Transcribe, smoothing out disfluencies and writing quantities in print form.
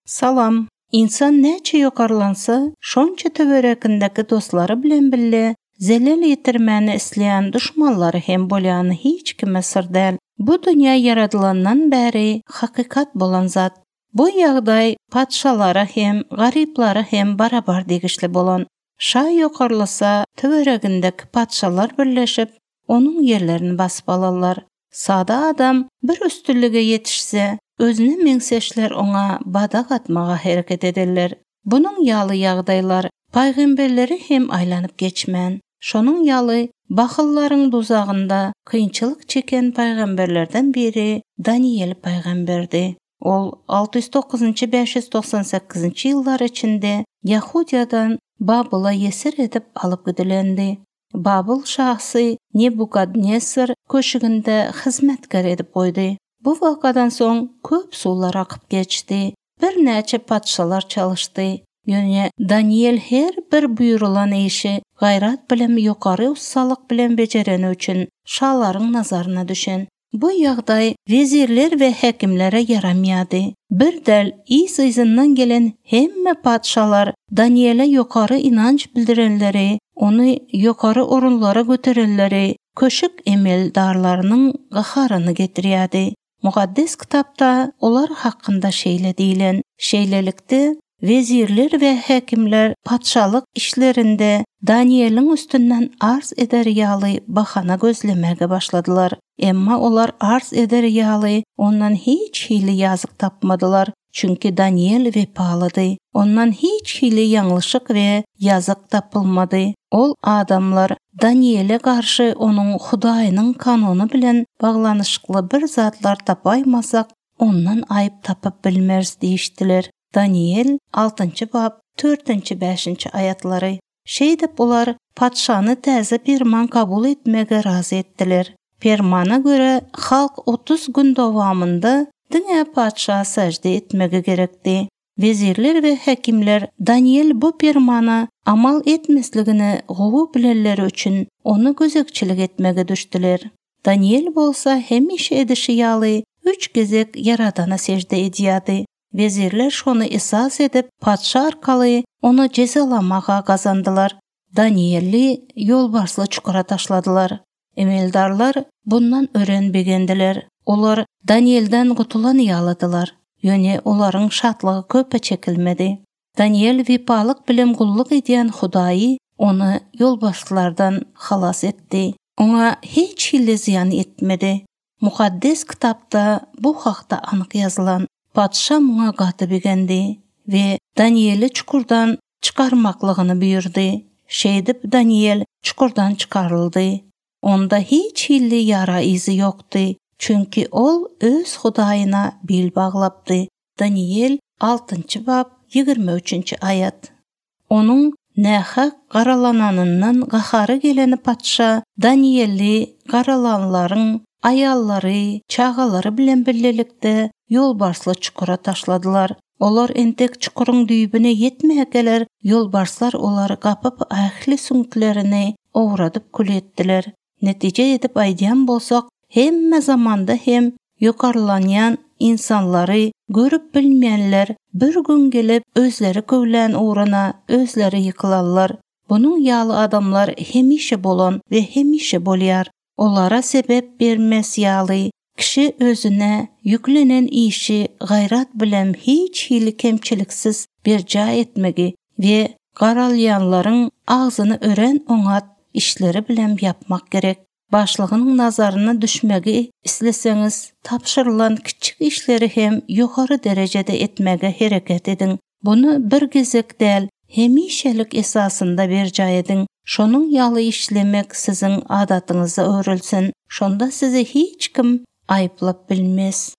Salam. Ynsan näçe ýokarlansa, şonça töwerekindäki dostlary bilen bille zelel ýetirmäni isleýän duşmanlary hem bolýany hiç kime syr däl. Bu dünýä ýaradylandan bäri hakykat bolan zat. Bu ýagdaý patyşalara hem, garyplara hem barabar degişli bolan. Şa ýokarlasa, töweregindäki patyşalar birleşip, onuň ýerlerini basyp alarlar. Sada adam bir üstünlige ýetişse, özüne meňzeşler oňa badak atmaga hereket ederler. Bunuň ýaly ýagdaýlar pygamberleri hem aýlanyp geçmän. Şonuň ýaly bahyllaryň duzagynda kynçylyk çeken pygamberlerden biri Daniýel pygamberdi. Ol 609-njy 598-nji ýyllar içinde Ýahudyýadan Babyla ýesir edip alyp gidilendi. Babyl şasy Nebukadnesar köşgünde hyzmatkär edip goýdy. Bu wakadan soň köp suwlar akyp geçdi, birnäçe patyşalar çalyşdy. Ýöne Daniýel her bir buýrulan işi gaýrat bilen ýokary ussalyk bilen bejereni üçin şalaryň nazaryna düşen. Bu ýagdaý wezirler we häkimlere ýaramýardy. Bir däl, yz-yzyndan gelen hemme patyşalar Daniýele ýokary ynanç bildirenleri, ony ýokary orunlara göterenleri köşük emeldarlarynyň gaharyny getirýärdi. Mukaddes Kitapda olar hakynda şeýle diýlen, Şeýlelikde, wezirler we häkimler patyşalyk işlerinde Daniýeliň üstünden arz eder ýaly bahana gözlemäge başladylar. Emma olar arz eder ýaly ondan hiç hili ýazyk tapmadylar, çünki Daniýel wepalydy. Ondan hiç hili ýalňyşyk we ýazyk tapylmady. Ol adamlar Daniýele garşy onuň Hudaýynyň kanuny bilen baglanyşykly bir zatlar tapaýmasak, ondan aýyp tapyp bilmeris diýişdiler. Daniýel, altynjy bap, törtünji, bäşinji aýatlary. Şeýdip, olar patyşany täze perman kabul etmege razy etdiler. Permana görä, halk 30 gün dowamynda diňe patyşa sežde etmegi gerekdi. Wezirler we häkimler Daniýel bu permana amal etmesligini gowy bilenleri üçin ony gözegçilik etmege düşdüler. Daniýel bolsa hemişe edişi ýaly üç gezek Ýaradana sežde edýärdi. Wezirler şony esas edip, patyşa arkaly ony jezalamaga gazandylar. Daniýeli ýolbarsly çukura taşladylar. Emeldarlar bundan örän begendiler. Olar Daniýelden gutulan ýalydylar. Ýöne olaryň şatlygy köpe çekilmedi. Daniýel wepalyk bilen gulluk edýän Hudaýy ony ýolbarslardan halas etdi. Oňa hiç hili zyýan etmedi. Mukaddes Kitapda bu hakda anyk ýazylan. Patyşa muňa gaty begendi we Daniýeli çukurdan çykarmaklygyny buýurdy. Şeýdip, Daniýel çukurdan çykaryldy. Onda hiç hili ýara yzy ýokdy, çünki ol öz Hudaýyna bil baglapdy. Daniýel, altynjy bap, 23-nji aýat. Onuň nähak garalananyndan gahary gelen patyşa Daniýeli garalanlaryň aýallary, çagalary bilen birlikde ýolbarsly çukura taşladylar. Olar entek çukuryň düýbüne ýetmäkäler, ýolbarslar olary gapyp, ähli süňklerini owradyp kül etdiler. Netije edip aýdýan bolsak, hemme zamanda hem ýokarlanýan ynsanlary görüp bilmeýänler bir gün gelip özleri köwlän ugruna özleri ýykylarlar. Bunuň ýaly adamlar hemişe bolan we hemişe bolýar. Olara sebep bermez ýaly kişi özüne ýüklenen işi gaýrat bilem hiç hili kemçiliksiz berjaý etmegi we garalýanlaryň agzyny örän oňat işleri bilem ýapmak gerek. Başlygyň nazaryna düşmegi isleseňiz, tabşyrylan kiçjik işleri hem ýokary derejede etmäge hereket ediň. Buny bir gezek däl, hemişelik esasynda berjaý ediň. Şonuň ýaly işlemek siziň adatyňyza öwrülsin. Şonda sizi hiç kim aýyplap bilmez.